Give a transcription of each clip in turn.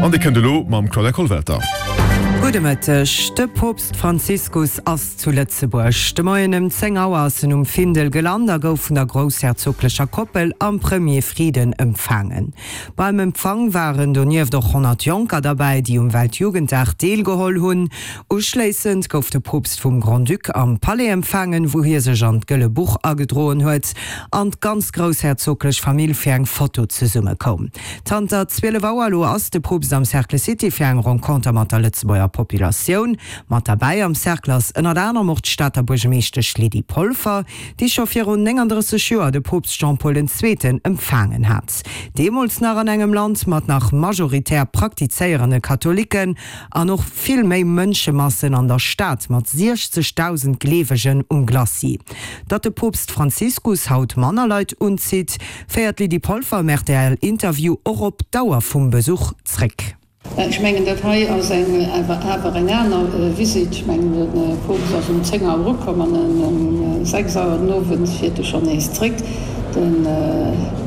An dee kënnt elo mam Claudia Kollwelter. Gudde Mëtteg. De Poopst Franziskus ass zu Lëtzebuerg. De Moien ëm 10 Auer ass en um Findel gelant a gouf vun der groussherzoglecher Koppel am Premier Frieden empfaangen. Beim Empfang waren donieft och 100 Jonker derbäi, déi um Weltjugenddag deelgeholl hunn. Uschléissend gouf de Poopst vum Grand-Duc am Palais empfaangen, wou hie sech an d'Gëlle Buch agedroen huet an d'ganz groussherzoglech Famill fir eng Foto zesumme koum. Zanter 12 Auer elo ass de Poopst am Cercle City fir eng Renconter mat der Lëtzebuerger Populatioun. Mat derbäi am Cercle ass ënnert anerem och d'Stater Buergemeeschtesch Lydie Polfer, déi scho virun 39 Joer de Poopst Jean-Paul den Zweeten empfaangen hat. Deemools nach an engem Land mat nach majoritär praktizéierende Katholiken an och vill méi Mënschemassen an der Stad mat 60.000 Gleewegen um Glacis. Datt de Poopst Franziskus haut manner Leit unzitt, féiert d'Lydie Polfer am RTL-Interview och op d'Dauer vum Besuch zréck. Ech mengen, dat hei ass eng awer eng aner Visitt. Ech mengen, de Poopst ass um 10 Auer ukomm an ëm 6 Auer den Owend fiert e schonn nees zréck. De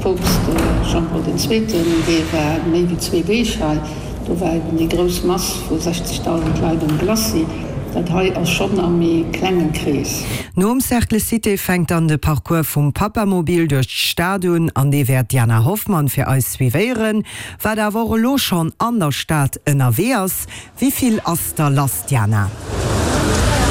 Poopst Jean-Paul den Zweeten, dee war méi wéi zwee Deeg hei. Do war eben déi grouss Mass vu 60.000 Leit um Glacis. Dat hei ass schonn am méi klenge Krees. Nom Cercle Cité fänkt dann de Parcours vum Papamobil duerch d'Stad un an dee wäert d'Diana Hoffmann fir eis suivéieren, wat awer och elo schonn an der Stad ënnerwee ass. Wéi vill ass da lass, Diana?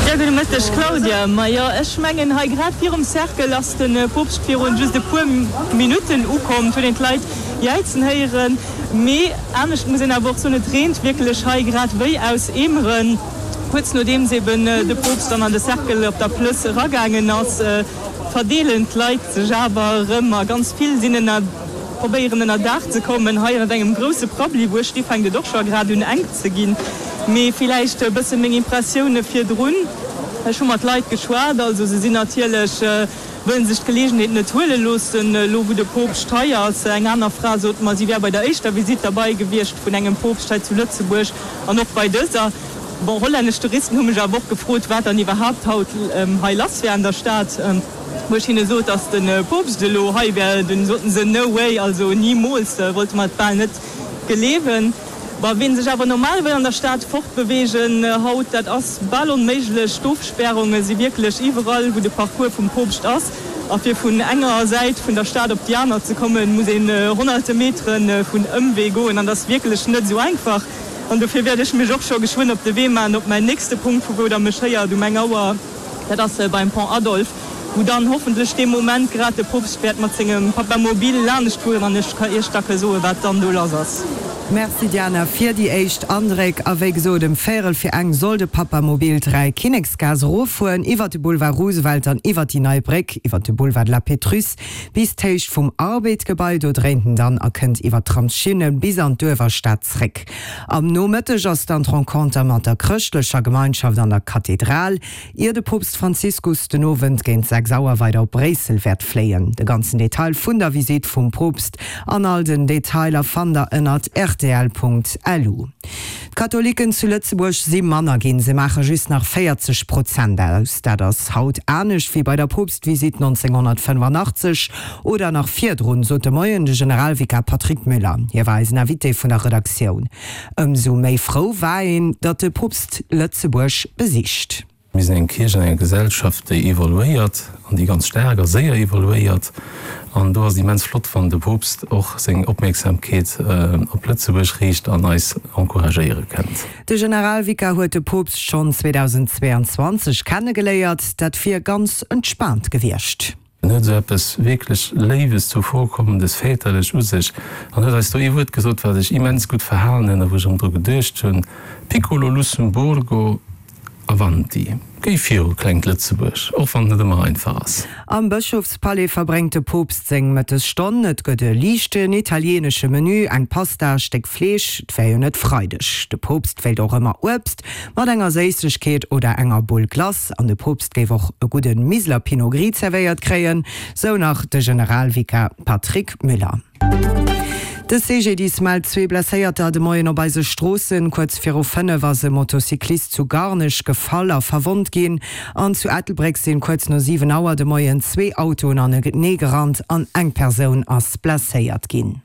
Jo, gudde Mëtteg Claudia. Majo, ech mengen hei grad virum Cercle ass de Poopst virun just e puer Minutten ukomm. Et huet een d'Leit jäizen héieren. Mee anescht muss een awer och soen, et reent wierklech hei grad wéi aus Eemeren. Kuerz nodeems eben de Poopst dann an de Cercle op der Plëss eragaangen ass, verdeelen d'Leit sech awer erëm a ganz vill sinn ënner, probéieren ënner Daach ze kommen. Hei ënnert engem grousse Prabbeli, wou ech sti, fänkt et och scho grad un enk ze ginn. Mee villäicht e bësse meng Impressioune virdrun, Ech hu mat Leit geschwat, also se sinn natierlech, wëllen sech d'Gelegenheet net huele loossen, elo wou de Poopscht hei ass. Eng aner Fra sot mer, si wär bei der éischter Visitt derbei gewiescht vun engem Poopscht hei zu Lëtzebuerg an och bei dëser. Bon, hollännesch Touristen hu mech awer och gefrot, wat dann iwwerhaapt haut hei lass wär an der Stad. Wou ech hinne sot, datt de Poopscht elo hei wär, dunn soten se, No way, also nimools, wollte mer et bal net gleewen. Bon, ween sech awer normal wëll an der Stad fortbeweegen haut, dat ass bal onméiglech. D'Ofspärunge si wierklech iwwerall, wou de Parcours vum Poopscht ass. A fir vun enger Säit vun der Stad op déi aner ze kommen, muss een honnerte Metere vun Ëmwee goen. An dat ass wierklech net esou einfach. An dofir wäert ech mech och scho geschwënn op de Wee maachen op mäin nächste Punkt, vu wou der mech héiert um eng Auer. Dat ass beim Pont Adolphe, wou dann hoffentlech dee Moment grad de Poopst wäert mat sengem Papamobil laanescht fueren an ech ka Iech da ke soen, wat dann do lass ass. Merci Diana fir déi éischt Andréck. A wéi gesot, ëm véierel fir eng soll de Papamobil d'Dräikinneksgaass eroffueren, iwwer de Boulevard Roosevelt an iwwer déi nei Bréck, iwwer de Boulevard de la Pétrusse bis d'Héicht vum Arbed-Gebai. Do dréint en dann a kënnt iwwer d'Tramsschinne bis an d'Uewerstad zréck. Am Nomëtteg ass dann d'Renconter mat der chrëschtlecher Gemeinschaft an der Kathedral, ier de Poopst Franziskus den Owend géint 6 Auer weider op Bréissel wäert fléien. De ganzen Detail vun der Visitt vum Poopst an all den Detailer fannt der ënnert rtl.lu. D'Katholiken zu Lëtzebuerg si manner ginn, se maache just nach 40 Prozent aus. Dat ass haut anescht wéi bei der Poopstvisitt 1985 Oder nach virdrun, sot de Moien de Generalvikar Patrick Müller. Hie war eisen Invité vun der Redaktioun. Ëmsou méi frou war een, datt de Poopst Lëtzebuerg besicht. Mir sinn eng Kierch an enger Gesellschaft, déi evoluéiert an déi ganz staark a séier evoluéiert. An do ass et immens flott, wann de Poopst och seng Opmierksamkeet op Lëtzebuerg riicht an eis encouragéiere kënnt. De Generalvikar huet de Poopst schonn 2022 kennegeléiert. Dat wier ganz entspaant gewiescht. En huet esou eppes wierklech Léiwes, Zuvorkommendes, Väterlech u sech an huet eis do ee Wuert gesot, wat ech immens gutt verhalen hunn a wou ech erëm dru geduecht hunn, Piccolo Lussemburgo, avanti! Géi viru, klengt Lëtzebuerg, och wann et net ëmmer einfach ass. Am Bëschofspalais verbréngt de Poopst seng Mëttesstonn. Et gëtt e liichten italieenesche Menü, eng Pasta, e Stéck Fleesch, et wär jo net Freideg. De Poopst wéilt och ëmmer Uebst mat enger Séissegkeet oder enger Bull Glace. An de Poopst géif och e gudde Miseler Pinot Gris zerwéiert kréien, sou nach de Generalvikar Patrick Müller. De CGDIS mellt zwee Blesséierter de Moien op eise Stroossen. Kuerz viru 5 ass e Motocyclist zu Garnech gefall a verwonnt ginn. An zu Ettelbréck sinn kuerz no 7 Auer de Moien zwee Autoen anenee gerannt an eng Persoun ass blesséiert ginn.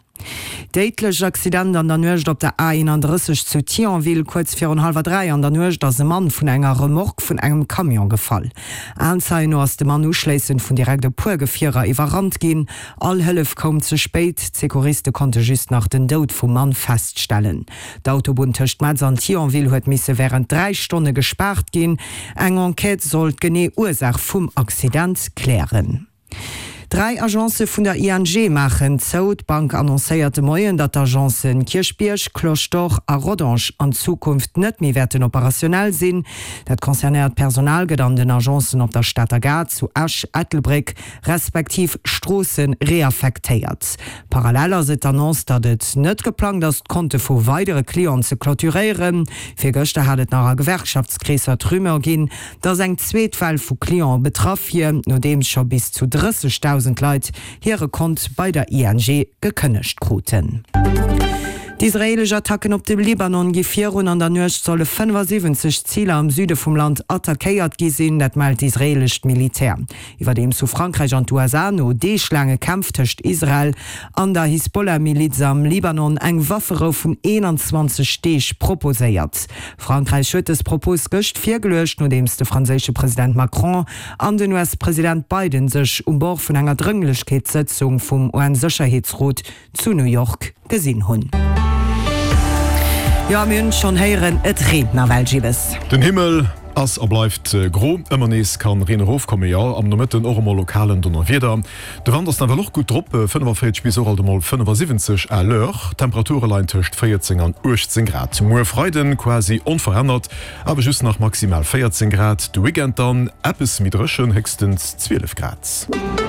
Déidlech Accident an der Nuecht op der A31 zu Thionville. Kuerz virun hallwer 3 an der Nuecht ass e Mann vun enger Remorque vun engem Camion gefall. Aenzeien no ass de Mann uschléissend vun direkt e puer Gefierer iwwerrannt ginn. All Hëllef koum ze spéit, d'Secouriste konnte just nach den Doud vum Mann feststellen. D'Autobunn tëscht Metz an Thionville huet misse wärend 3 Stonne gespaart ginn. Eng Enquête soll d'genee Ursaach vum Accident klären. Dräi Agencë vun der ING maachen zou. D'Bank annoncéiert de Moien, datt d'Agencen Kierchbierg, Cloche d'Or a Rodange an Zukunft net méi wäerten operationell sinn. Dat concernéiert Personal gëtt an den Agencen op der Stater Gare, zu Esch, Ettelbréck respektiv Stroossen reaffektéiert. Parallel ass et d'Annonce, datt et net geplangt ass, d'Konte vu weidere Clienten ze clôturéieren. Virgëschter hat et nach a Gewerkschaftskreesser d'Rumeur ginn, dass eng zweet Well vu Cliente betraff wier, nodeems scho bis zu 30.000 Leit hire Kont bei der ING gekënnegt kruten. D'israeelesch Attacken op de Libanon gi virun. An der Nuecht solle 75 Ziler am Süde vum Land attackéiert gi sinn, dat mellt d'israeelescht Militär. Iwwerdeems hu Frankräich an d'USA no deeglaange Kämpf tëscht Israel an der Hisbollah-Miliz am Libanon eng Wafferou vun 21 Deeg proposéiert. Frankräich huet dës Propos gëscht virgeluecht, nodeems de franséische President Macron an den US-President Biden sech um Bord vun enger Drënglechkeetssëtzung vum UN-Sécherheetsrot zu New York gesinn hunn. Jo, a mir hunn et schonn héieren, et reent nawell, Gibbes. Den Himmel ass a bleift gro, ëmmer nees kann Reen erofkommen, jo am Nomëtten och emol lokal en Donnerwieder. De Wand ass nawell och gutt drop, 45 bis och alt emol 75 à l'heure. D'Temperature leien tëscht 14 an 18 Grad. Muer Freiden quasi onverännert, awer just nach maximal 14 Grad. De Weekend dann eppes méi dréchen, héchstens 12 Grad.